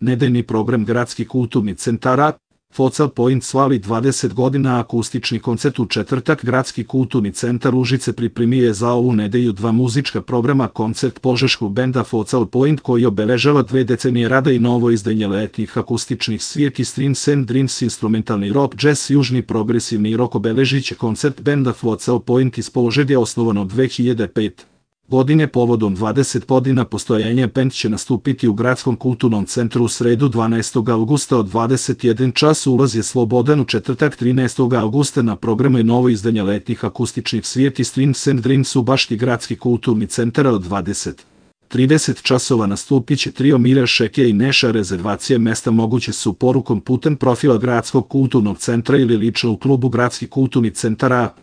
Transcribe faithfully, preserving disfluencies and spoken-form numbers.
Nedeljni program Gradski kulturni centara, Focal Point slavi dvadeset godina akustični koncert u četvrtak. Gradski kulturni centar Užice pripremio je za ovu nedelju dva muzička programa, koncert požeškog benda Focal Point koji obeležava dve decenije rada i novo izdanje letnjih akustičnih svirki Streams and Dreams, instrumentalni rock, jazz, južni progresivni rock. Obeležiće koncert benda Focal Point iz Požege, osnovano dve hiljade pete. godine. Povodom dvadeset godina postojanja bend će nastupiti u Gradskom kulturnom centru u sredu dvanaestog avgusta od dvadeset jedan čas. Ulaz je slobodan. U četvrtak trinaestog avgusta na programu je novo izdanje letnjih akustičnih svirki Streams and Dreams u bašti Gradski kulturni centar od dvadeset do trideset časova. Nastupit će trio Mira Šeke i Neša. Rezervacije mesta moguće su porukom putem profila Gradskog kulturnog centra ili lično u klubu Gradski kulturni centar A.